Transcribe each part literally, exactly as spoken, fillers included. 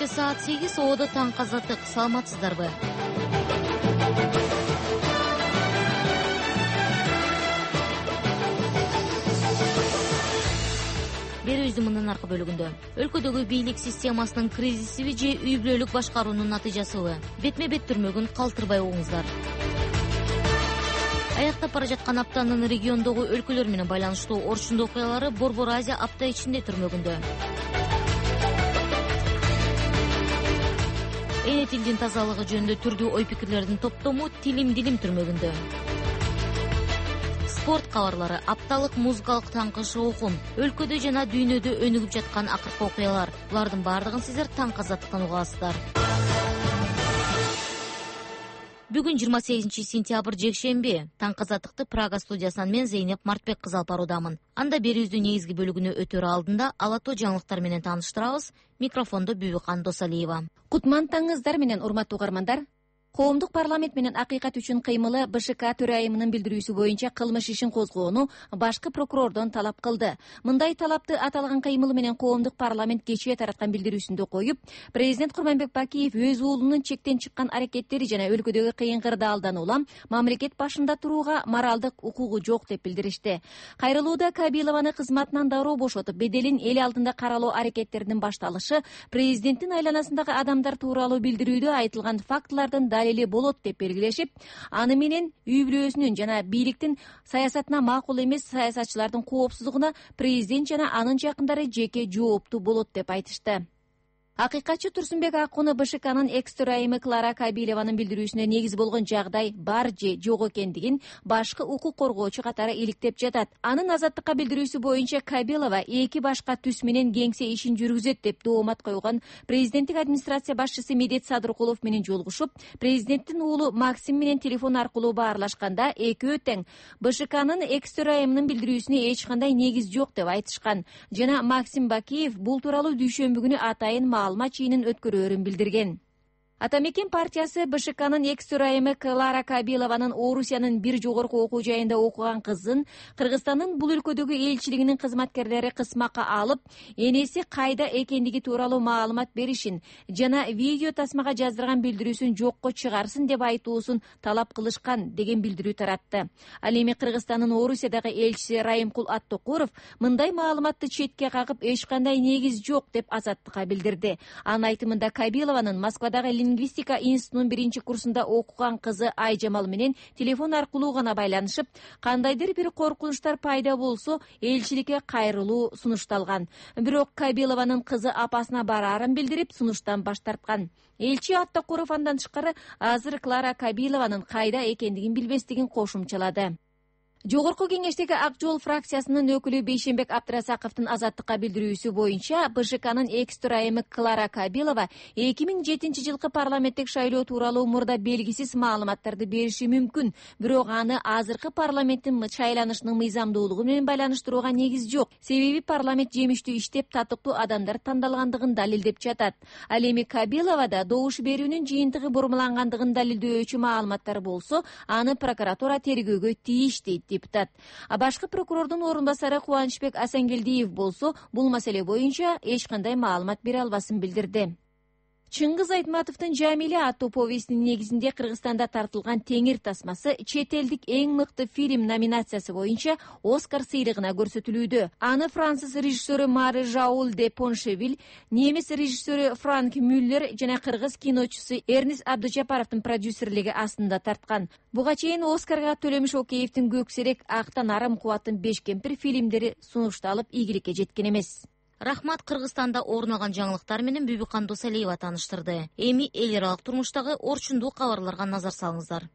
Кечте саат сегиз Оодо таңкы азаттык. Саламатсыздарбы? Берүүбүздүн мындан аркы бөлүгүндө өлкөдөгү бийлик системасынын кризисиби же үй бүлөлүк башкаруунун натыйжасыбы? Бетме бет түрмөгүн калтырбай угуңуздар. Аяктап бара жаткан аптанын региондогу өлкөлөр менен байланыштуу орчундуу окуялары Борбор Азия апта ичинде түрмөгүндө. Эне тилдин тазалыгы жөнүндө түрдүү ой-пикирлердин топтому Тилим дилим түрмөгүндө. Спорт кабарлары, апталык музыкалык таңкы шоукун, өлкөдө жана дүйнөдө өнүгүп жаткан акыркы окуялар. Булардын баардыгын сиздер таңкы азаттыктан угасыздар. Бүгүн жыйырма сегизинчи сентябрь жекшемби. Таңкы азаттыкты Прага студиясынан мен Зейнеп Мартбек кызы алып баруудамын. Анда берүүбүздүн негизги бөлүгүнө өтөр алдында алато жаңылыктар менен тааныштырабыз. Микрофондо Бүбүкан Досалиева. Кутман таңыңыздар менен урматтуу угармандар. Коомдук парламент менен акыйкат үчүн кыймылы БШК төрайымынын билдирүүсү боюнча кылмыш ишин козгоону башкы прокурордон талап кылды. Мындай талапты аталган кыймылы менен коомдук парламент кечээ тараткан билдирүүсүндө коюп, президент Курманбек Бакиев өз уулунун чектен чыккан аракеттери жана өлкөдөгү кыйын кырдаалдан улам мамлекет башында турууга моралдык укугу жок деп билдиришти. Кайрылууда Кабилованы кызматынан дароо бошотуп, беделин эл алдында каралоо аракеттеринин башталышы, президенттин айланасындагы адамдар тууралуу билдирүүдө айтылган фактылардын далили болот деп белгилешип, аны менен үй бүлөсүнүн жана бийликтин саясатына макул эмес саясатчылардын коопсуздугуна президент жана анын жакындары жеке жооптуу болот деп айтышты. Акыйкатчы Турсунбек Акуну БШКнын экс төрайымы Клара Кабилованын билдирүүсүнө негиз болгон жагдай бар же жок экендигин башкы укук коргоочу катары иликтеп жатат. Анын азаттыкка билдирүүсү боюнча Кабилова эки башка түс менен кеңсе ишин жүргүзөт деп доомат койгон президенттик администрация башчысы Медет Садыркулов менен жолугушуп, президенттин уулу Максим менен телефон аркылуу баарлашканда экөө тең БШКнын экс төрайымынын билдирүүсүнө эч кандай негиз жок деп айтышкан жана Максим Бакиев бул тууралуу дүйшөмбү күнү атайын маалымат жыйынын өткөрөөрүн билдирген. Атамекен партиясы БШКнын экс төрайымы Клара Кабилованын Орусиянын бир жогорку окуу жайында окуган кызын Кыргызстандын бул өлкөдөгү элчилигинин кызматкерлери кысмакка алып, энеси кайда экендиги тууралуу маалымат беришин жана видео тасмага жаздырган билдирүүсүн жокко чыгарсын деп айтуусун талап кылышкан деген билдирүү таратты. Ал эми Кыргызстандын Орусиядагы элчиси Райымкул Аттокуров мындай маалыматты четке кагып, эч кандай негиз жок деп азаттыкка билдирди. Анын айтымында Кабилованын Москвадагы лингвистика институтунун биринчи курсунда окуган кызы Айжамал менен телефон аркылуу гана байланышып, кандайдыр бир коркунучтар пайда болсо элчиликке кайрылуу сунушталган. Бирок Кабилованын кызы апасына бараарын билдирип, сунуштан баш тарткан. Элчи Аттокуров андан тышкары азыр Клара Кабилованын кайда экендигин билбестигин кошумчалады. Жогорку кеңештеги Ак жол фракциясынын өкүлү Бейшембек Абдрасаковдун азаттыкка билдирүүсү боюнча БШКнын экс төрайымы Клара Кабилова эки миң жетинчи жылкы парламенттик шайлоо тууралуу мурда белгисиз маалыматтарды бериши мүмкүн, бирок аны азыркы парламенттин шайланышынын мыйзамдуулугу менен байланыштырууга негиз жок. Себеби парламент жемиштүү иштеп, татыктуу адамдар тандалгандыгын далилдеп жатат. Ал эми Кабиловада добуш берүүнүн жыйынтыгы бурмалангандыгын далилдөөчү маалыматтар болсо, аны прокуратура тергөөгө тийиш дейт депутат. А башкы прокурордун орун басары Кубанычбек Асангелдиев болсо, бул маселе боюнча эч кандай маалымат бере албасын билдирди. Чыңгыз Айтматовдун Жамиле аттуу повестинин негизинде Кыргызстанда тартылган Теңир тасмасы чет элдик эң мыкты фильм номинациясы боюнча Оскар сыйлыгына көрсөтүлүүдө. Аны француз режиссеру Мари Жаул де Поншевиль, немис режиссеру Франк Мюллер жана кыргыз киночусу Эрнис Абдужапаровдун продюсерлиги астында тарткан. Буга чейин Оскарга Төлөмүш Океевдин Көксерек, Актан арым кубаттын Беш кемпир фильмдери сунушталып, ийгиликке жеткен эмес. Рахмат. Кыргызстанда орун алган жаңылыктар менен Бүбүкан Досалиева тааныштырды. Эми эл аралык турмуштагы орчундуу кабарларга назар салыңыздар.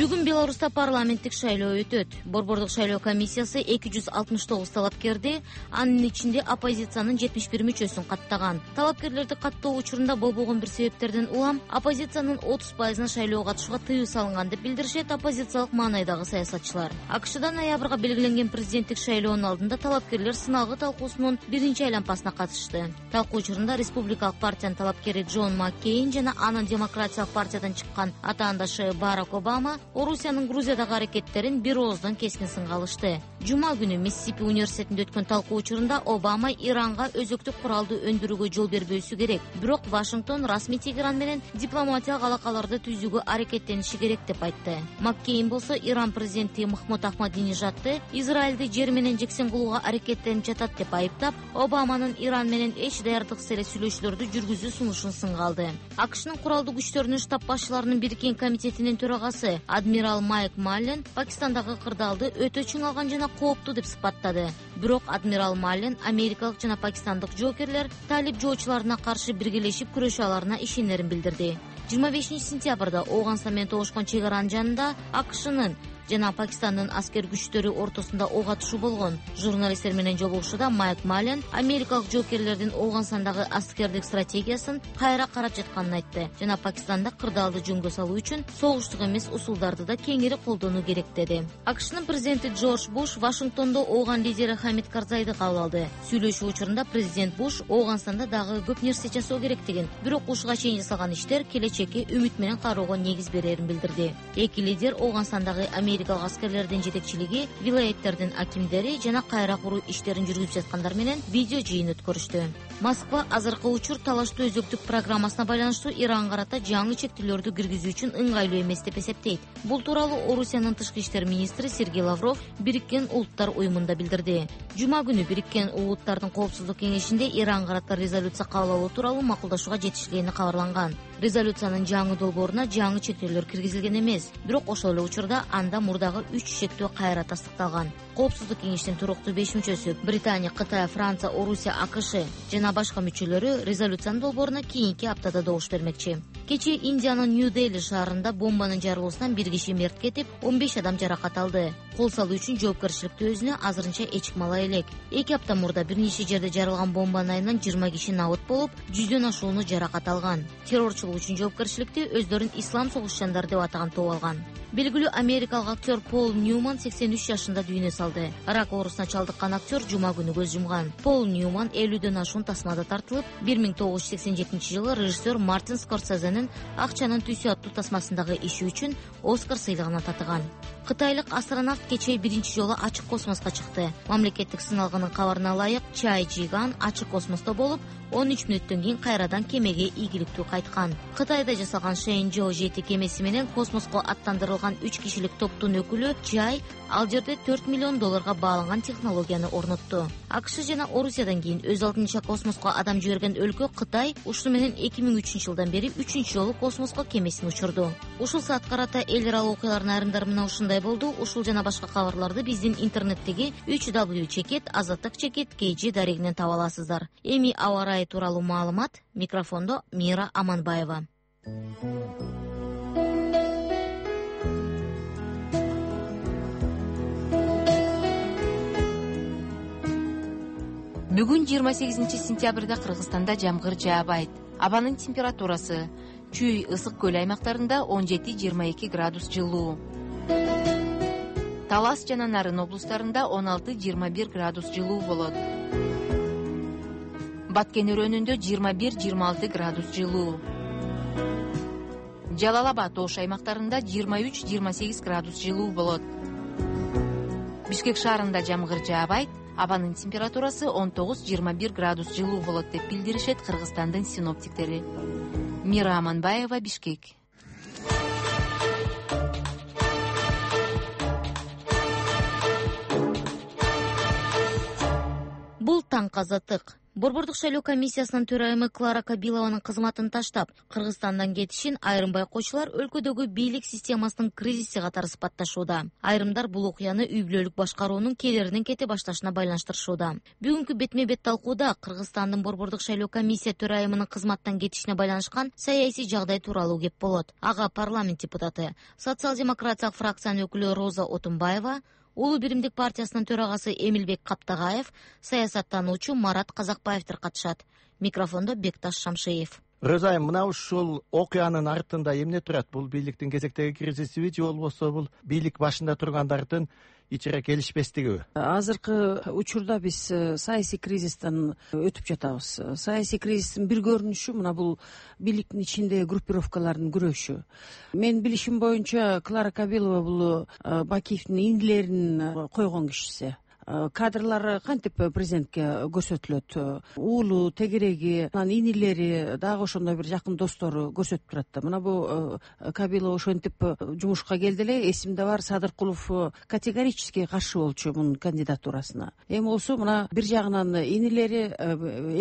Бүгүн Беларуста парламенттик шайлоо өтөт. Борбордук шайлоо комиссиясы эки жүз алтымыш тогуз талапкерди, анын ичинде оппозициянын жетимиш бир мүчөсүн каттаган. Талапкерлерди каттоо учурунда болбогон бир себептерден улам оппозициянын отуз пайызына шайлоого катышууга тыюу салынган деп билдиришет оппозициялык маанайдагы саясатчылар. АКШда ноябрга белгиленген президенттик шайлоонун алдында талапкерлер сыналгы талкуусунун биринчи айланпасына катышты. Талкуу учурунда республикалык партиянын талапкери Джон Маккейн жана анын демократиялык партиядан чыккан атаандашы Барак Обама Орусиянын Грузиядагы аракеттерин бир ооздон кескин сынга алышты. Жума күнү Миссисипи университетинде өткөн талкуу учурунда Обама Иранга өзөктүк куралды өндүрүүгө жол бербөөсү керек, бирок Вашингтон расмий Тегеран менен дипломатиялык алакаларды түзүүгө аракеттениши керек деп айтты. Маккейн болсо Иран президенти Махмуд Ахмадинежадты Израилди жер менен жексен кылууга аракеттенип жатат деп айыптап, Обаманын Иран менен эч даярдыксыз эле сүйлөшүүлөрдү жүргүзүү сунушун сынга алды. АКШнын куралдуу күчтөрүнүн штаб башчыларынын бириккен комитетинин төрагасы адмирал Майк Маллен Пакистандагы кырдаалды өтө чың алган жана кооптуу деп сыпаттады. Бирок адмирал Маллен америкалык жана пакистандык жоокерлер талип жоочуларына каршы биргелешип күрөшө аларына ишенерин билдирди. жыйырма бешинчи сентябрда Ооганстан менен тогушкон чек аранын жанында АКШнын жана Пакистандын аскер күчтөрү ортосунда ок атышуу болгон. Журналисттер менен жолугушууда Майк Маллен америкалык жоокерлердин Ооганстандагы аскердик стратегиясын кайра карап жатканын айтты жана Пакистанда кырдаалды жөнгө салуу үчүн согуштук эмес усулдарды да кеңири колдонуу керек деди. АКШнын президенти Джордж Буш Вашингтондо Ооган лидери Хамид Карзайды кабыл алды. Сүйлөшүү учурунда президент Буш Ооганстанда дагы көп нерсе жасоо керектигин, бирок ушуга чейин жасалган иштер келечекке үмүт менен кароого негиз берерин билдирди. Эки лидер Ооганстандагы америкалык аскерлердин жетекчилиги, вилаяттердин акимдери жана кайра куруу иштерин жүргүзүп жаткандар менен видео жыйын өткөрүштү. Москва азыркы учур талаштуу өзөктүк программасына байланыштуу Иранга карата жаңы чектөөлөрдү киргизүү үчүн ыңгайлуу эмес деп эсептейт. Бул тууралуу Орусиянын тышкы иштер министри Сергей Лавров Бириккен Улуттар уюмунда билдирди. Жума күнү Бириккен Улуттардын коопсуздук кеңешинде Иранга карата резолюция кабыл алуу тууралуу макулдашууга жетишилгени кабарланган. Резолюциянын жаңы долбооруна жаңы чектөөлөр киргизилген эмес, бирок ошол эле учурда анда мурдагы үч чектөө кайра тастыкталган. Коопсуздук кеңештин туруктуу беш мүчөсү Британия, Кытай, Франция, Орусия, АКШ жана башка мүчөлөрү резолюциянын долбооруна кийинки аптада добуш бермекчи. Кечээ Индиянын Нью-Дели шаарында бомбанын жарылуусунан бир киши мерт кетип, он беш адам жаракат алды. Кол салуу үчүн жоопкерчиликти өзүнө азырынча эч ким ала элек. Эки апта мурда бир нече жерде жарылган бомбанын айынан жыйырма киши набыт болуп, жүздөн ашууну жаракат алган. Террорчулук үчүн жоопкерчиликти өздөрүн ислам согушчандары деп атаган топ алган. Белгилүү америкалык актер Пол Ньюман сексен үч жашында дүйнө салды. Рак оорусуна чалдыккан актер жума күнү көз жумган. Пол Ньюман элүүдөн ашуун тасмада тартылып, бир миң тогуз жүз сексен жетинчи жылы режиссер Мартин Скорсезенин Акчанын түсү аттуу тасмасындагы иши үчүн Оскар сыйлыгына татыган. Кытайлык астронавт кечээ биринчи жолу ачык космоско чыкты. Мамлекеттик сыналгынын кабарына ылайык Чай Жиган ачык космосто болуп, он үч мүнөттөн кийин кайрадан кемеге ийгиликтүү кайткан. Кытайда жасалган Шэньчжоу жети кемеси менен космоско аттандырылган үч кишилик топтун өкүлү Чай ал жерде төрт миллион долларга бааланган технологияны орнотту. АКШ жана Орусиядан кийин өз алдынча космоско адам жиберген өлкө Кытай ушуну менен эки миң үчүнчү жылдан бери үчүнчү жолу космоско кемесин учурду. Ушул саатка карата эл аралык окуялардын айрымдары мына ушундай болду. Ушул жана башка кабарларды биздин интернеттеги үч дабл ю чекит азаттык чекит кей жи дарегинен таба аласыздар. Эми аба ырайы тууралуу маалымат. Микрофондо Мира Аманбаева. Бүгүн жыйырма сегизинчи сентябрда Кыргызстанда жамгыр жаабайт. Абанын температурасы Чүй ысык көл аймактарында он жети жыйырма эки градус жылуу. Талас жана Нарын облустарында он алты жыйырма бир градус жылуу болот. Баткен өрөөнүндө жыйырма бир жыйырма алты градус жылуу. Жалал Абад Ош аймактарында жыйырма үч жыйырма сегиз градус жылуу болот. Бишкек шаарында жамгыр жаабайт. Абанын температурасы он тогуз жыйырма бир градус жылуу болот деп билдиришет Кыргызстандын синоптиктери. Мира Аманбаева, Бишкек. Бул таң азаттык. Борбордук шайлоо комиссиясынын төрайымы Клара Кабилованын кызматын таштап, Кыргызстандан кетишин айрым байкоочулар өлкөдөгү бийлик системасынын кризиси катары сыпатташууда. Айрымдар бул окуяны үй бүлөлүк башкаруунун келеринен кете башташына байланыштырышууда. Бүгүнкү бетме бет талкууда Кыргызстандын борбордук шайлоо комиссия төрайымынын кызматтан кетишине байланышкан саясий жагдай тууралуу кеп болот. Ага парламент депутаты, социал-демократиялык фракциянын өкүлү Роза Отунбаева, Улуу биримдик партиясынын төрагасы Эмилбек Каптагаев, саясаттануучу Марат Казакбаевдер катышат. Микрофондо Бекташ Шамшиев. Рызай, мына ушул окуянын артында эмне турат? Бул бийликтин кезектеги кризисиби же болбосо бул бийлик башында тургандардын ичире келишпестигиби? Азыркы учурда биз саясий кризистен өтүп жатабыз. Саясий кризистин бир көрүнүшү мына бул бийликтин ичиндеги группировкалардын күрөшү. Менин билишим боюнча Клара Кабилова бул Бакиевдин инилерин койгон кишиси. Кадрлары кантип президентке көрсөтүлөт? Уулу, тегереги, анан инилери, дагы ошондой бир жакын достору көрсөтүп турат да. Мына бул Кабилова ошентип жумушка келди эле. Эсимде бар, Садыркулов категорически каршы болчу мунун кандидатурасына. Эми болсо мына бир жагынан инилери,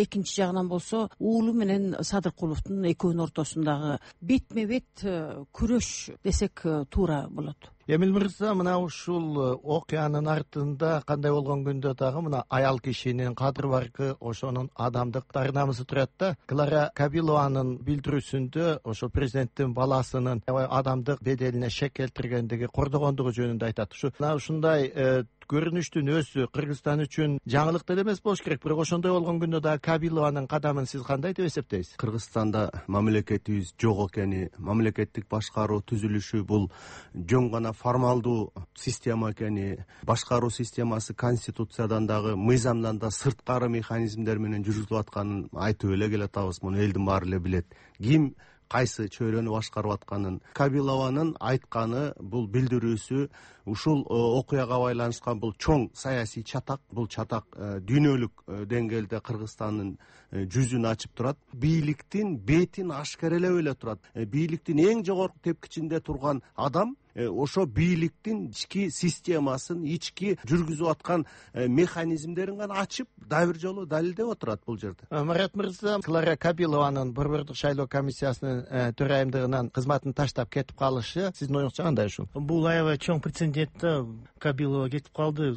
экинчи жагынан болсо уулу менен Садыркуловдун экөөнүн ортосундагы бетме бет күрөш десек туура болот. Эмил мырза, мына ушул окуянын артында кандай болгон күндө дагы мына аял кишинин кадыр баркы, ошонун адамдык ар намысы турат да. Клара Кабилованын билдирүүсүндө ошо президенттин баласынын адамдык беделине шек келтиргендиги, кордогондугу жөнүндө айтат. Ушу мына ушундай көрүнүштүн өзү Кыргызстан үчүн жаңылык деле эмес болуш керек, бирок ошондой болгон күндө дагы Кабилованын кадамын сиз кандай деп эсептейсиз? Кыргызстанда мамлекетибиз жок экени, мамлекеттик башкаруу түзүлүшү бул жөн гана формалдуу система экени, башкаруу системасы конституциядан дагы мыйзамдан да сырткары механизмдер менен жүргүзүлүп атканын айтып эле келатабыз. Муну элдин баары эле билет. Ким кайсы чөйрөнү башкарып атканын. Кабилованын айтканы, бул билдирүүсү ушул окуяга байланышкан бул чоң саясий чатак. Бул чатак дүйнөлүк деңгээлде Кыргызстандын жүзүн ачып турат. Бийликтин бетин ашкерелеп эле турат. Бийликтин эң жогорку тепкичинде турган адам ошо бийликтин ички системасын, ички жүргүзүп аткан механизмдерин гана ачып, дагы бир жолу далилдеп отурат бул жерде. Марат мырза, Клара Кабилованын Борбордук шайлоо комиссиясынын төрайымдыгынан кызматын таштап кетип калышы сиздин оюңузча кандай ушул? Бул аябай чоң прецедент да. Кабилова кетип калды.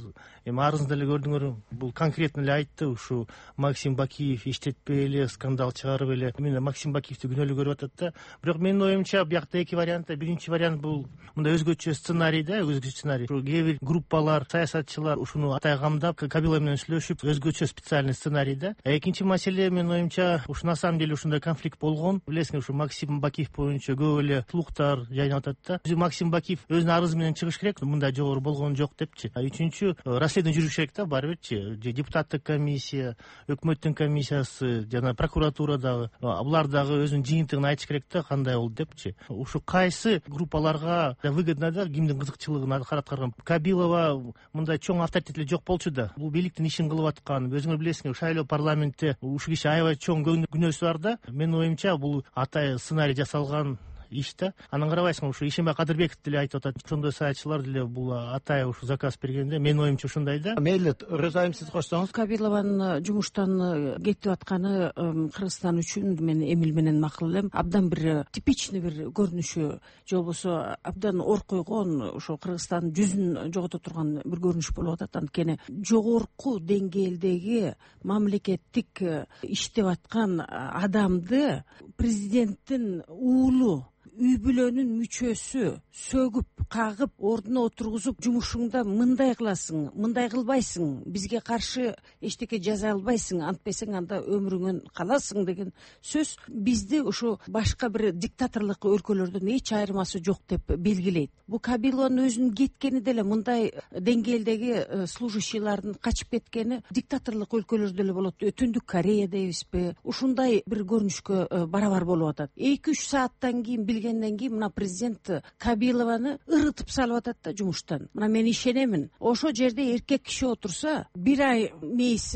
Эми арызында эле көрдүңөр, бул конкретно эле айтты, ушу Максим Бакиев иштетпей эле, скандал чыгарып эле. Мен Максим Бакиевди күнөөлүү көрүп атат да. Бирок менин оюмча биякта эки вариант. Биринчи вариант бул мындай өзгөчө сценарий да, өзгөчө сценарий. Кээ бир группалар, саясатчылар ушуну атай камдап, Кабилова менен сүйлөшүп, өзгөчө специальный сценарий да. Экинчи маселе, менин оюмча, ушу на самом деле ушундай конфликт болгон. Билесиңер, ушу Максим Бакиев боюнча көп эле слухтар жайнап атат да. Максим Бакиев өзүнүн арызы менен чыгыш керек, мындай жогору болгон жок депчи. Үчүнчү, расследование жүрүш керек да, баары бирчи. Депутаттык комиссия, өкмөттүн комиссиясы жана прокуратура дагы, булар дагы өзүнүн жыйынтыгын айтыш керек да, кандай болду депчи. Ушу кайсы группаларга выгодно да, кимдин кызыкчылыгын караткарган. Кабилова мындай чоң авторитети жок болчу да. Бул бийликтин ишин кылып аткан. Өзүңөр билесиңер, шайлоо парламентте ушу киши аябай чоң күнөөсү бар да. Менин оюмча, бул атай сценарий жасалган иш да. Анан карабайсыңар, ушу Ишенбай Кадырбеков деле айтып атат. Ошондой саятчылар деле бул атай ушу заказ бергенде, менин оюмча ушундай да. Мейли, Рызайым, сиз кошсоңуз. Кабилованын жумуштан кетип атканы Кыргызстан үчүн мен Эмил менен макул элем. Абдан бир типичный бир көрүнүшү, же болбосо абдан ор койгон, ошо Кыргызстандын жүзүн жогото турган бир көрүнүш болуп атат. Анткени жогорку деңгээлдеги мамлекеттик иштеп аткан адамды президенттин уулу, үй бүлөнүн мүчөсү сөгүп, кагып, ордуна отургузуп, жумушуңда мындай кыласың, мындай кылбайсың, бизге каршы эчтеке жаза албайсың, антпесең анда өмүрүңөн каласың деген сөз бизди ушу башка бир диктаторлук өлкөлөрдөн эч айырмасы жок деп белгилейт. Бул Кабилованын өзүнүн кеткени деле, мындай деңгээлдеги служащийлардын качып кеткени диктаторлук өлкөлөрдө эле болот. Түндүк Корея дейбизби? Ушундай бир көрүнүшкө барабар болуп атат. эки үч сааттан кийин билгенден кийин мына президент Кабилованы ырытып салып атат да жумуштан. Мына мен ишенемин, ошо жерде эркек киши отурса, бир ай мейис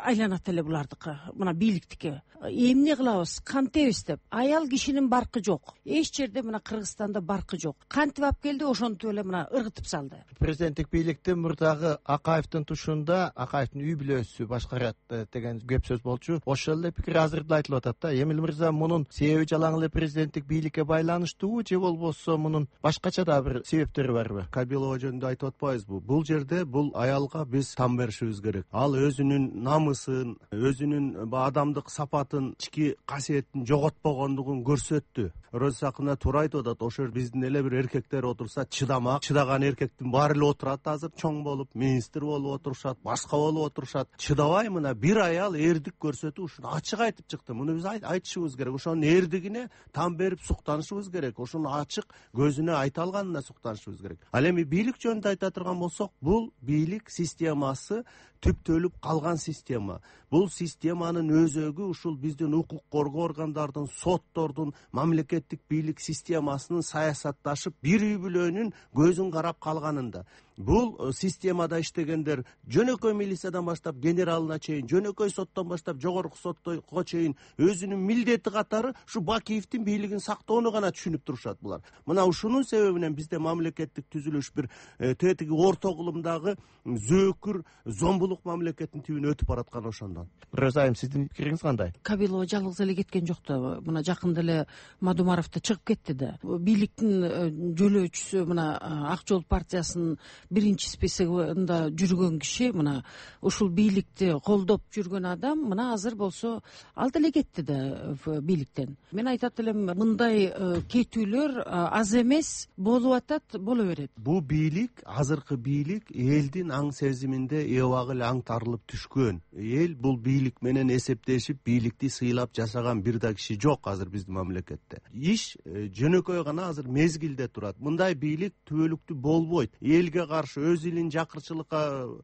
айланат эле булардыкы, мына бийликтики. Эмне кылабыз, кантебиз деп. Аял кишинин баркы жок. Эч жерде мына Кыргызстанда баркы жок. Кантип алып келди, ошонтип эле мына ыргытып салды. Президенттик бийликтин мурдагы Акаевдин тушунда Акаевдин үй бүлөсү башкарат деген кеп сөз болчу. Ошол эле пикир азырда айтылып атат да. Эмил мырза, мунун себеби жалаң эле президенттик бийликке байланыштуубу, же болбосо мунун башкача да бир себептери барбы? Кабилова жөнүндө айтып атпайбызбы? Бул жерде бул аялга биз там беришибиз керек. Ал өзүнүн намысын, өзүнүн адамдык сапатын, ички касиетин жоготпогондугун көрсөттү. Роза Сакынова туура айтып атат, ошо биздин эле бир эркектер отурса чыдамак, чыдаган эркектин баары эле отурат, азыр чоң болуп, министр болуп отурушат, башка болуп отурушат. Чыдабай мына бир аял эрдик көрсөтүп ушуну ачык айтып чыкты. Муну биз айтышыбыз керек. Ошонун эрдигине там берип суктанышыбыз керек. Ошону ачык көзүнө айта алганына суктанышыбыз керек. Ал эми бийлик жөнүндө айта турган болсок, бул бийлик системасы түптөлүп калган система. Бул системанын өзөгү ушул биздин укук коргоо органдардын, соттордун, мамлекеттик бийлик системасынын саясатташып бир үй бүлөнүн көзүн карап калганында. Бул системада иштегендер жөнөкөй милициядан баштап генералына чейин, жөнөкөй соттон баштап жогорку сотко чейин өзүнүн милдети катары ушу Бакиевдин бийлигин сактоону гана түшүнүп турушат булар. Мына ушунун себебинен бизде мамлекеттик түзүлүш бир тетиги орто кылымдагы зөөкүр зомбулук мамлекеттин түбүнө өтүп бараткан ошондон. Роза айым, сиздин пикириңиз кандай? Кабилова жалгыз эле кеткен жок да. Мына жакында эле Мадумаров да чыгып кетти да. Бийликтин жөлөөчүсү мына Ак жол партиясынын биринчи списогунда жүргөн киши, мына ушул бийликти колдоп жүргөн адам мына азыр болсо ал деле кетти да бийликтен. Мен айтат элем, мындай кетүүлөр аз эмес, болуп атат, боло берет. Бул бийлик, азыркы бийлик элдин аң сезиминде эбагы эле аңтарылып түшкөн. Эл бул бийлик менен эсептешип, бийликти сыйлап жашаган бир да киши жок азыр биздин мамлекетте. Иш жөнөкөй гана азыр мезгилде турат. Мындай бийлик түбөлүктүү болбойт. Элге каршы өз элин жакырчылыкка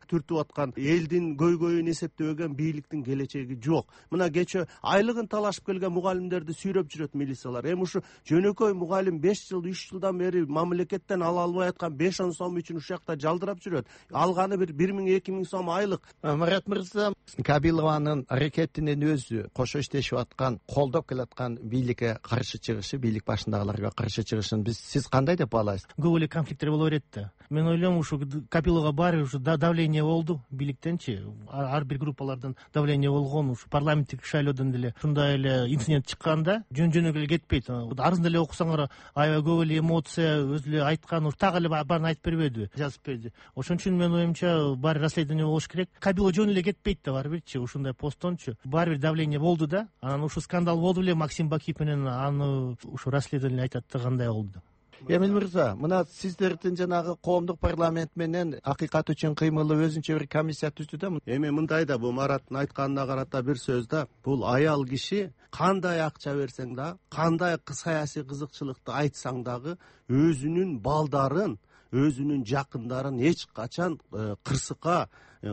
түртүп аткан, элдин көйгөйүн эсептебеген бийликтин келечеги жок. Мына кече айлыгын талашып келген мугалимдерди сүйрөп жүрөт милициялар. Эми ушу жөнөкөй мугалим беш жыл, үч жылдан бери мамлекеттен ала албай аткан беш он сом үчүн ушул жакта жалдырап жүрөт. Алганы бир бир миң эки миң сом айлык. Марат мырза, Кабилованын аракетинин өзү кошо иштешип аткан, колдоп келаткан бийликке каршы чыгышы, бийлик башындагыларга каршы чыгышын биз сиз кандай деп баалайсыз? Көп эле конфликттер боло берет да. Мен ойлойм, ушу Кабиловага баары ушу давление болду бийликтенчи, ар бир группалардан давление болгон. Ушу парламенттик шайлоодон деле ушундай эле инцидент чыкканда жөн-жөнөкөй эле кетпейт. Арызын деле окусаңар, аябай көп эле эмоция, өзү эле айткан, ушу так эле баарын айтып бербеди, жазып берди. Ошон үчүн менин оюмча баары расследование болуш керек. Кабилова жөн эле кетпейт да баары бирчи, ушундай посттончу. Баары бир давление болду да. Анан ушу скандал болду эле, Максим Бакиев менен аны ушу расследование айтат да кандай болду. Эмил мырза, мына сиздердин жанагы коомдук парламент менен акыйкат үчүн кыймылы өзүнчө бир комиссия түздү да. Эми мындай да, бул Мараттын айтканына карата бир сөз да. Бул аял киши кандай акча берсең да, кандай саясий кызыкчылыкты айтсаң дагы өзүнүн балдарын, өзүнүн жакындарын эч качан кырсыкка,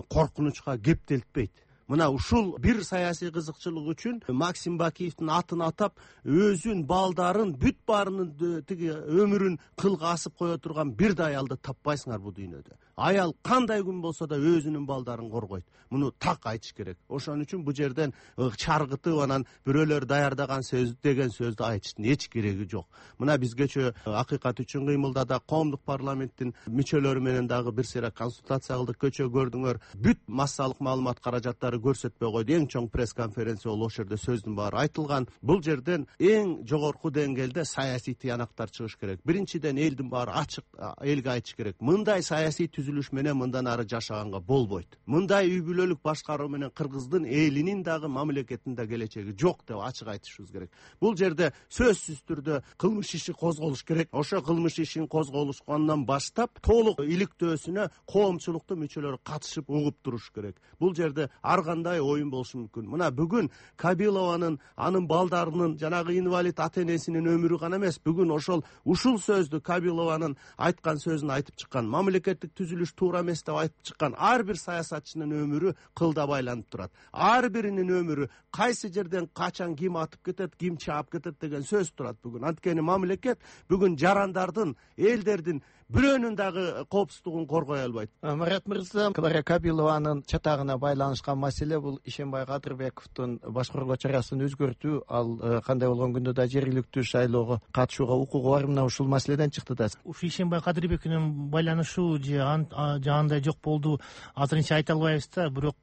коркунучка кептелтпейт. Мына ушул бир саясий кызыкчылык үчүн Максим Бакиевдин атын атап, өзүн, балдарын, бүт баарынын тиги өмүрүн кылга асып кое турган бир да аялды таппайсыңар бул дүйнөдө. Аял кандай күн болсо да өзүнүн балдарын коргойт. Муну так айтыш керек. Ошон үчүн бул жерден чаргытып анан бирөөлөр даярдаган сөз деген сөздү айтыштын эч кереги жок. Мына биз кечээ акыйкат үчүн кыймылда да коомдук парламенттин мүчөлөрү менен дагы бир сыйра консультация кылдык. Кечээ көрдүңөр, бүт массалык маалымат каражаттары көрсөтпөй койду. Эң чоң пресс-конференция болуп, ошол жерде сөздүн баары айтылган. Бул жерден эң жогорку деңгээлде саясий тыянактар чыгыш керек. Биринчиден элдин баары ачык элге айтыш керек. Мындай саясий түзүлүш менен мындан ары жашаганга болбойт. Мындай үй бүлөлүк башкаруу менен Кыргыздын элинин дагы мамлекеттин да келечеги жок деп ачык айтышыбыз керек. Бул жерде сөзсүз түрдө кылмыш иши козголуш керек. Ошо кылмыш ишин козголушкандан баштап толук иликтөөсүнө коомчулуктун мүчөлөрү катышып угуп туруш керек. Бул жерде ар кандай оюн болушу мүмкүн. Мына бүгүн Кабилованын, анын балдарынын, жанагы инвалид ата-энесинин өмүрү гана эмес, бүгүн ошол ушул сөздү Кабилованын айткан сөзүн айтып чыккан, мамлекеттик түзүлүш туура эмес деп айтып чыккан ар бир саясатчынын өмүрү кылда байланып турат. Ар биринин өмүрү кайсы жерден качан ким атып кетет, ким чаап кетет деген сөз турат бүгүн. Анткени мамлекет бүгүн жарандардын, элдердин бирөөнүн дагы коопсуздугун коргой албайт. Марат мырза, Клара Кабилованын чатагына байланышкан маселе бул Ишенбай Кадырбековдун башкаруу чарасын өзгөртүү, ал кандай болгон күндө да жергиликтүү шайлоого катышууга укугу бар. Мына ушул маселеден чыкты да. Ушу Ишенбай Кадырбеков менен байланышуу же андай жок болду, азырынча айта албайбыз да. Бирок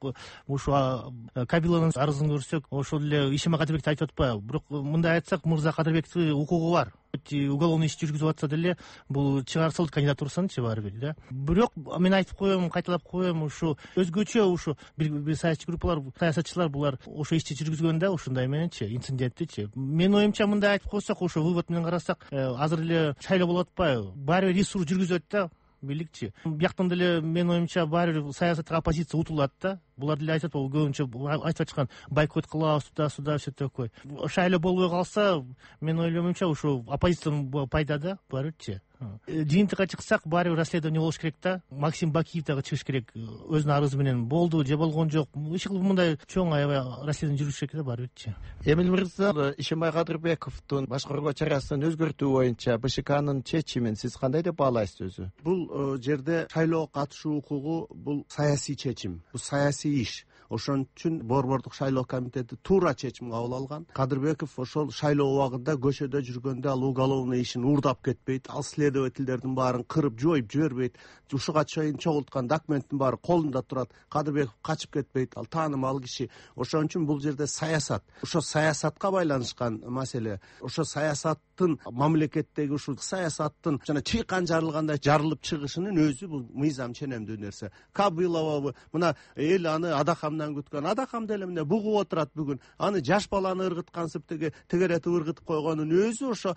ушу Кабилованын арызын көрсөк, ошол эле Ишенбай Кадырбекти айтып атпайбы? Бирок мындай айтсак, мырза Кадырбектин укугу бар. уголовный иш жүргүзүп атса деле бул чыгарсылды кандидатурасынчы баары бир да. Бирок мен айтып коем, кайталап коем, ушу өзгөчө ушу бир саясий группалар, саясатчылар булар ошо ишти жүргүзгөн да ушундай мененчи, инциденттичи. Менин оюмча мындай айтып койсок, ошо вывод менен карасак, азыр эле шайлоо болуп атпайбы? Баары бир ресурс жүргүзөт да бийликчи. Бияктан деле менин оюмча баары бир саясатка оппозиция утулат да. Булар деле айтат, бул көбүнчө айтып чыккан бойкот кылабыз, туда сюда все такое. Шайлоо болбой калса, менин ойломумча ушу оппозициянын пайда да барычы. Жыйынтыкка чыксак, баары бир расследование болуш керек да. Максим Бакиев дагы чыгыш керек өзүнүн арызы менен, болду же болгон жок. Эч кылып мындай чоң аябай расследование жүрүш керек да баары бирчи. Эмил мырза, Ишенбай Кадырбековдун башкаруу чарасынын өзгөртүү боюнча БШКнын чечимин сиз кандай деп баалайсыз өзү? Бул жерде шайлоого катышуу укугу бул саясий чечим, бул саясий иш. Ошон үчүн Борбордук шайлоо комитети туура чечим кабыл алган. Кадырбеков ошол шайлоо убагында көчөдө жүргөндө ал уголовный ишин уурдап кетпейт, ал следовательдердин баарын кырып жоюп жибербейт, ушуга чейин чогулткан документтин баары колунда турат. Кадырбеков качып кетпейт, ал таанымал киши. Ошон үчүн бул жерде саясат, ошо саясатка байланышкан маселе. Ошо саясаттын мамлекеттеги ушул саясаттын жана чыйкан жарылгандай жарылып чыгышынын өзү бул мыйзам ченемдүү нерсе. Кабылова мына эл аны адакамдан күткөн, адакам деле эмне бугуп отурат бүгүн. Аны жаш баланы ыргыткансып теге тегеретип ыргытып койгонун өзү ошо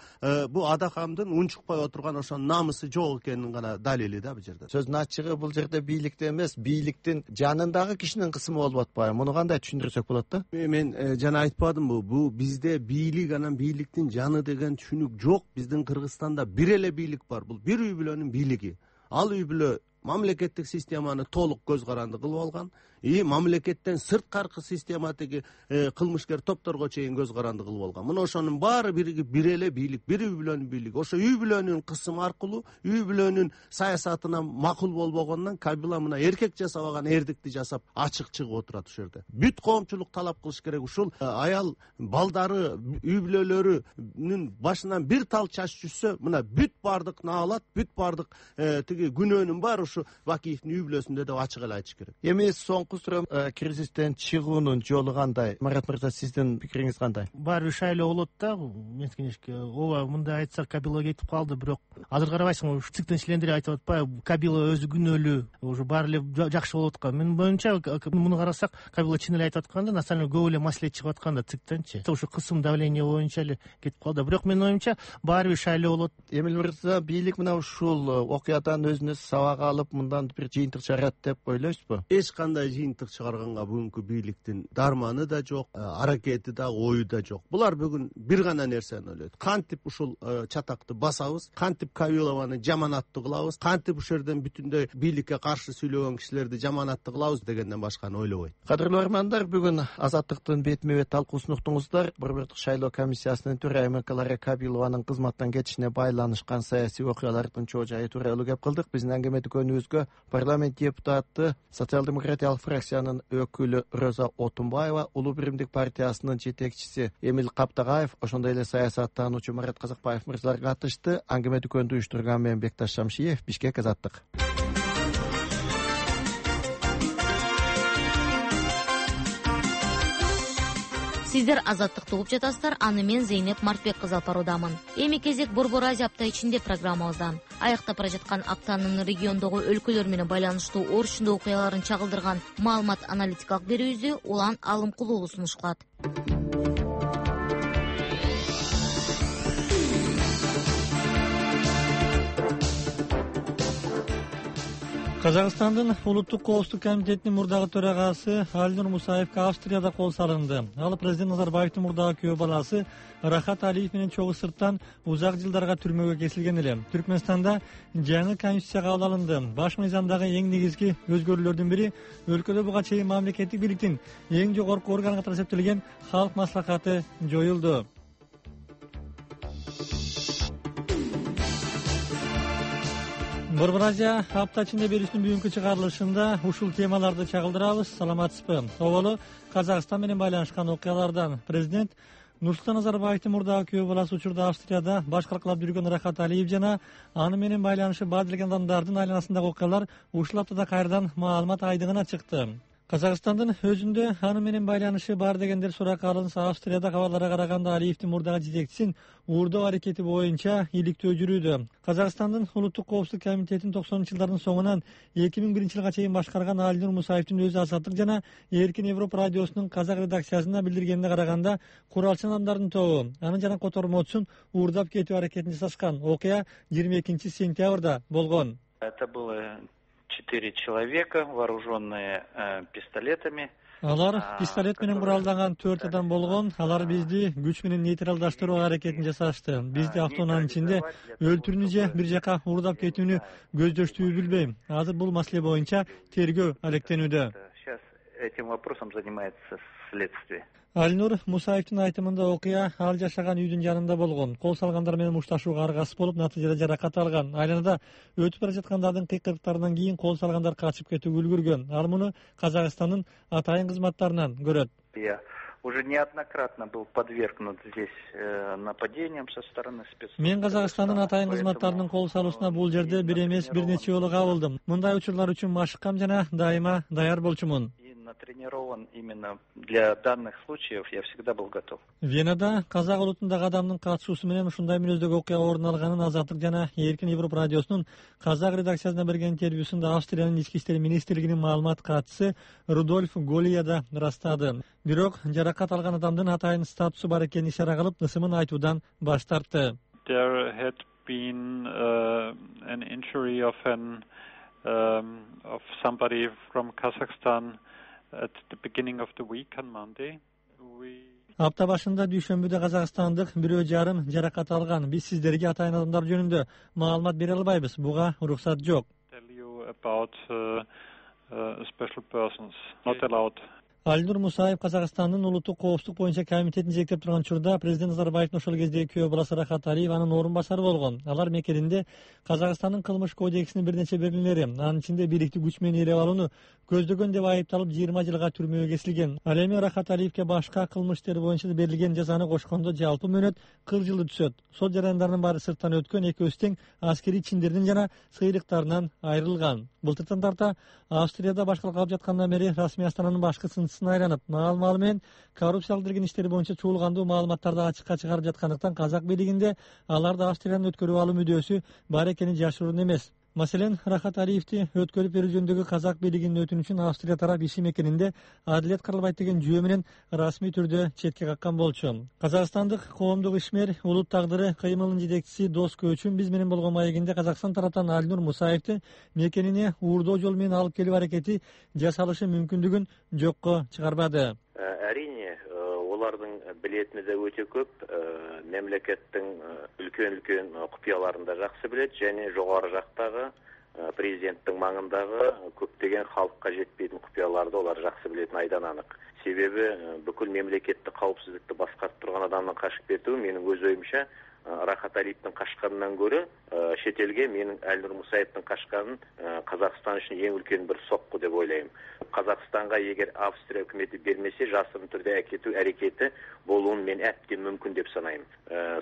бул адакамдын унчукпай отурган ошо намысы жок экенин гана далили да бул жерде. Сөздүн ачыгы бул жерде бийликте эмес, бийликтин жанындагы кишинин кысымы болуп атпайбы? Муну кандай түшүндүрсөк болот да? Мен жана айтпадымбы, бул бизде бийлик анан бийликтин жаны деген түшүнүк жок. Биздин Кыргызстанда бир эле бийлик бар, бул бир үй бүлөнүн бийлиги. Ал үй бүлө мамлекеттик системаны толук көз каранды кылып алган, и мамлекеттен сырткаркы система теги кылмышкер топторго чейин көз каранды кылып алган. Мына ошонун баары бириги бир эле бийлик, бир үй бүлөнүн бийлиги. Ошо үй бүлөнүн кысымы аркылуу, үй бүлөнүн саясатына макул болбогондон Кабила мына эркек жасабаган эрдикти жасап ачык чыгып отурат ушул жерде. Бүт коомчулук талап кылыш керек. Ушул аял балдары, үй бүлөлөрүнүн башынан бир тал чач түшсө, мына бүт бардык наалат, бүт бардык тиги күнөөнүн баары ушу Бакиевдин үй бүлөсүндө деп ачык эле айтыш керек. Эми соңку суроо, кризистен чыгуунун жолу кандай? Марат мырза, сиздин пикириңиз кандай? Баары бир шайлоо болот да, меникинешке. Ооба, мындай айтсак, Кабила кетип калды, бирок азыр карабайсыңбы, ЦИКтин члендери айтып атпайбы, Кабила өзү күнөөлүү, уже баары эле жакшы болуп аткан. Менин боюмча, муну карасак, Кабила чын эле айтып атканда, на самом деле көп эле маселе чыгып аткан да ЦИКтенчи. Ошо кысым давление боюнча эле кетип калды. Бирок менин оюмча, баары бир шайлоо болот. Эмил мырза, бийлик мына ушул окуядан өзүнө сабак алып, мындан бир жыйынтык чыгарат деп ойлойсузбу? Эч кандай жыйынтык чыгарганга бүгүнкү бийликтин дарманы да жок, аракети да, ою да жок. Булар бүгүн бир гана нерсени ойлойт. Кантип ушул чатакты басабыз, кантип Кабилованы жаманаттуу кылабыз, кантип ушул жерден бүтүндөй бийликке каршы сүйлөгөн кишилерди жаманаттуу кылабыз дегенден башканы ойлобойт. Кадырлуу армандар, бүгүн Азаттыктын бетме бет талкуусун уктуңуздар. Борбордук шайлоо комиссиясынын төрайымы Клара Кабилованын кызматтан кетишине байланышкан саясий окуялардын чоо жайы тууралуу кеп кылдык. Биздин аңгеме дүкөнүбүзгө парламент депутаты, социал-демократиялык фракциянын өкүлү Роза Отунбаева, Улуу биримдик партиясынын жетекчиси Эмил Каптагаев, ошондой эле саясаттануучу Марат Казакбаев мырзалар катышты. Аңгеме дүкөндү уюштурган мен Бекташ Шамшиев, Бишкек, Азаттык. Сиздер Азаттыкты угуп жатасыздар. Аны мен Зейнеп Мартбек кызы алып баруудамын. Эми кезек Борбор Азия апта ичинде программабыздан. Аяктап бара жаткан аптанын региондогу өлкөлөр менен байланыштуу оор чындоо окуяларын чагылдырган маалымат аналитикалык берүүбүздү Улан Алымкулуу сунуш кылат. Казакстандын улуттук коопсуздук комитетинин мурдагы төрагасы Алинур Мусаевге Австрияда кол салынды. Ал президент Назарбаевдин мурдагы күйөө баласы Рахат Алиев менен чогуу сырттан узак жылдарга түрмөгө кесилген эле. Түркмөнстанда жаңы конституция кабыл алынды. Баш мыйзамдагы эң негизги өзгөрүүлөрдүн бири өлкөдө буга чейин мамлекеттик бийликтин эң жогорку органы катары эсептелген Халк маслахаты жоюлду. Борбор Азия апта ичинде берүүсүнүн бүгүнкү чыгарылышында ушул темаларды чагылдырабыз. Саламатсызбы? Оболу Казакстан менен байланышкан окуялардан президент Нурсултан Назарбаевдин мурдагы күйөө баласы учурда Австрияда баш калкалап жүргөн Рахат Алиев жана аны менен байланышы бар делген адамдардын айланасындагы окуялар ушул аптада кайрадан маалымат айдыгына чыкты. Казакстандын өзүндө аны менен байланышы бар дегендер суракка алынса, Австрияда кабарларга караганда Алиевдин мурдагы жетекчисин уурдоо аракети боюнча иликтөө жүрүүдө. Казакстандын улуттук коопсуздук комитетин токсонунчу жылдардын соңунан эки миң биринчи жылга чейин башкарган Алинур Мусаевдин өзү Азаттык жана Эркин Европа радиосунун казак редакциясына билдиргенине караганда, куралчы адамдардын тобу анын жана котормочусун уурдап кетүү аракетин жасашкан. Окуя жыйырма экинчи сентябрда болгон. Это было четыре человека, вооруженные э, пистолетами. Алар пистолет менен куралданган төрт адам болгон. Алар бизди күч менен нейтралдаштыруу аракетин жасашты. Бизди автоунаанын ичинде өлтүрүүнү же бир жака уурдап кетүүнү көздөштүбү билбейм. Азыр бул маселе боюнча тергөө алектенүүдө. Сейчас этим вопросом занимается следствие. Алинур Мусаевдин айтымында окуя ал жашаган үйдүн жанында болгон. Кол салгандар менен мушташууга аргасыз болуп, натыйжада жаракат алган. Айланада өтүп бара жаткандардын кыйкырыктарынан кийин кол салгандар качып кетүүгө үлгүргөн. Ал муну Казакстандын атайын кызматтарынан көрөт. Я уже неоднократно был подвергнут здесь э, нападениям со стороны спецслужб. Мен Казакстандын атайын кызматтарынын кол салуусуна бул жерде бир эмес бир нече жолу кабылдым. Мындай учурлар үчүн машыккам жана дайыма даяр болчумун. Натренирован именно для данных случаев, я всегда был готов. Венада казак улутундагы адамдын катышуусу менен ушундай мүнөздөгү окуя орун алганын Азаттык жана Эркин Европа радиосунун казак редакциясына берген интервьюсунда Австриянын ички иштер министрлигинин маалымат катчысы Рудольф Голия да ырастады. Бирок жаракат алган адамдын атайын статусу бар экенин ишара кылып, ысымын айтуудан баш тартты. There had been uh, an injury of an um, of somebody from Kazakhstan at the beginning of the week on Monday. We Апта башында дүйшөмбүдө казакстандык бирөө жарым жаракат алган. Биз сиздерге атайын адамдар жөнүндө маалымат бере албайбыз. Буга уруксат жок. Tell you about uh, uh, special persons not allowed. Алинур Мусаев Казакстандын улуттук коопсуздук боюнча комитетин жетектеп турган учурда президент Назарбаевдин ошол кездеги күйөө баласы Рахат Алиев анын орун басары болгон. Алар мекенинде Казакстандын кылмыш кодексинин бир нече белгилери, анын ичинде бийликти күч менен ээлеп алууну көздөгөн деп айыпталып жыйырма жылга түрмөгө кесилген. Ал эми Рахат Алиевке башка кылмыш иштери боюнча берилген жазаны кошкондо жалпы мөөнөт кырк жылы түшөт. Сот жарандарынын баары сырттан өткөн, экөөсү тең аскерий чиндердин жана сыйрыктарынан айрылган. Былтыртан тарта Австрияда башкалык алып жаткандан бери расмий астананын башкы сынчысына айланып, маал-маалы менен коррупциялык делген иштери боюнча чуулгандуу маалыматтарды ачыкка чыгарып жаткандыктан казак бийлигинде аларды Австриядан өткөрүп алуу мүдөөсү бар экени жашыруун эмес. Маселен, Рахат Алиевди өткөрүп берүү жөнүндөгү казак бийлигинин өтүнүчүн Австрия тарап иши мекенинде адилет кырылбайт деген жүйө менен расмий түрдө четке каккан болчу. Казакстандык коомдук ишмер, улут тагдыры кыймылынын жетекчиси Дос Көчүн биз менен болгон маегинде Казакстан тараптан Алинур Мусаевди мекенине уурдоо жол менен алып келүү аракети жасалышы мүмкүндүгүн жокко чыгарбады. Әрине, олардын билетини да өтө көп, мемлекеттин үлкөн-үлкөн купуяларын да жакшы билет және жогору жактагы президенттин маңындагы көптөгөн халыкка жетпейтин купуяларды олар жакшы билетин айдан анык. Себеби бүкүл мемлекеттик каупсуздукты башкарып турган адамдын качып кетүү менин өз оюмча Рахат Алиевдин качканынан көрө чет элге менин Алинур Мусаевдин качканын Казакстан үчүн эң үлкен бир сокку деп ойлойм. Казакстанга эгер Австрия өкмөтү бермесе, жасырын түрдө әкетүү аракети болуун мен әбден мүмкүн деп санайм.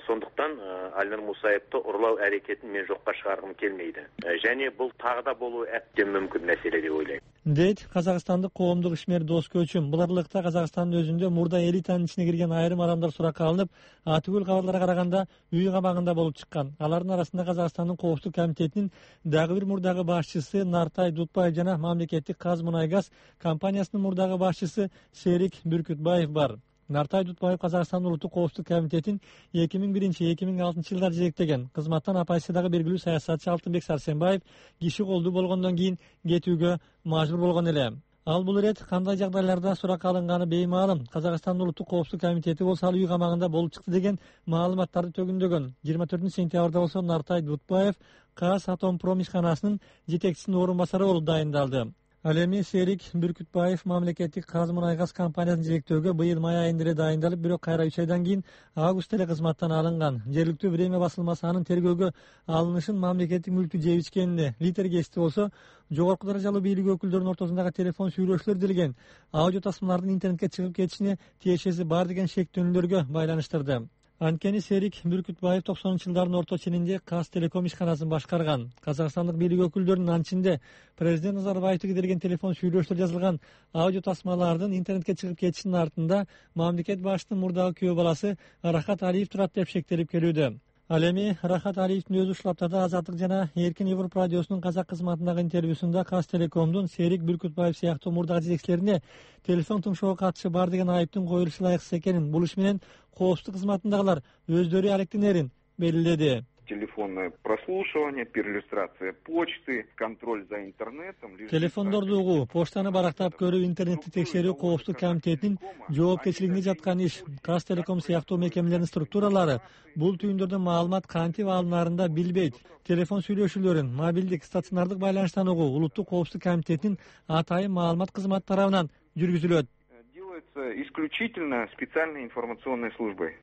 Сондуктан Алинур Мусаевди урлоо аракетин мен жокко чыгаргым келмейди. Және бул тагы да болуу әбден мүмкүн маселе деп ойлойм. Дейт Казакстандык коомдук ишмер Дос Көчүн. Бул аралыкта Казакстандын өзүндө мурда элитанын ичине кирген айрым адамдар суракка алынып, атүгүл кабарларга караганда үй кабагында болуп чыккан. Алардын арасында Казакстандын коопсуздук комитетинин дагы бир мурдагы башчысы Нартай Дутбаев жана мамлекеттик Казмунайгаз компаниясынын мурдагы башчысы Серик Бүркүтбаев бар. Нартай Дутбаев Казакстандын улуттук коопсуздук комитетин эки миң биринчи — эки миң алтынчы жылдар жетектеген. Кызматтан оппозициядагы белгилүү саясатчы Алтынбек Сарсенбаев киши колдуу болгондон кийин кетүүгө мажбур болгон эле. Ал бул ирет кандай жагдайларда суракка алынганы беймаалым. Казакстандын улуттук коопсуздук комитети болсо ал үй камагында болуп чыкты деген маалыматтарды төгүндөгөн. жыйырма төртүнчү сентябрда болсо Нартай Дутбаев Казатомпром ишканасынын жетекчисинин орун басары болуп дайындалды. Ал эми Серик Бүркүтбаев мамлекеттик Казмунайгаз компаниясын жетектөөгө быйыл май айында эле дайындалып, бирок кайра үч айдан кийин августта эле кызматтан алынган. Жергиликтүү Время басылмасы анын тергөөгө алынышын мамлекеттик мүлктү жеп ичкенине литер кести болсо, жогорку даражалуу бийлик өкүлдөрүнүн ортосундагы телефон сүйлөшүүлөр делген аудио тасмалардын интернетке чыгып кетишине тиешеси бар деген шектөөнүүлөргө байланыштырды. Анткени Серик Бүркүтбаев токсонунчу жылдардын орто ченинде Казтелеком ишканасын башкарган. Казакстандык бийлик өкүлдөрүнүн анчинде президент Назарбаевди кидирген телефон сүйлөшүүлөр жазылган аудио тасмалардын интернетке чыгып кетишинин артында мамлекет башчынын мурдагы күйөө баласы Рахат Алиев турат деп шектелип келүүдө. Ал эми Рахат Алиевдин өзү ушул аптада Азаттык жана Эркин Европа радиосунун казак кызматындагы интервьюсунда Казтелекомдун Серик Бүркүтбаев сыяктуу мурдагы жетекчилерине телефон тыңшоого катышы бар деген айыптын коюлушу ылайыксыз экенин, бул иш менен коопсуздук кызматындагылар өздөрү алектенерин белгиледи. Телефонное прослушивание, перлюстрация почты, контроль за интернетом. Телефондорду угуу, почтаны барактап көрүү, интернетти текшерүү коопсуздук комитетинин жоопкерчилигинде жаткан иш. Казтелеком сыяктуу мекемелердин структуралары бул түйүндөрдөн маалымат кантип алынарын билбейт. Телефон сүйлөшүүлөрүн мобилдик, стационардык байланыштан угуу улуттук коопсуздук комитетинин атайын маалымат кызматы тарабынан жүргүзүлөт. Делается исключительно специальной информационной службой.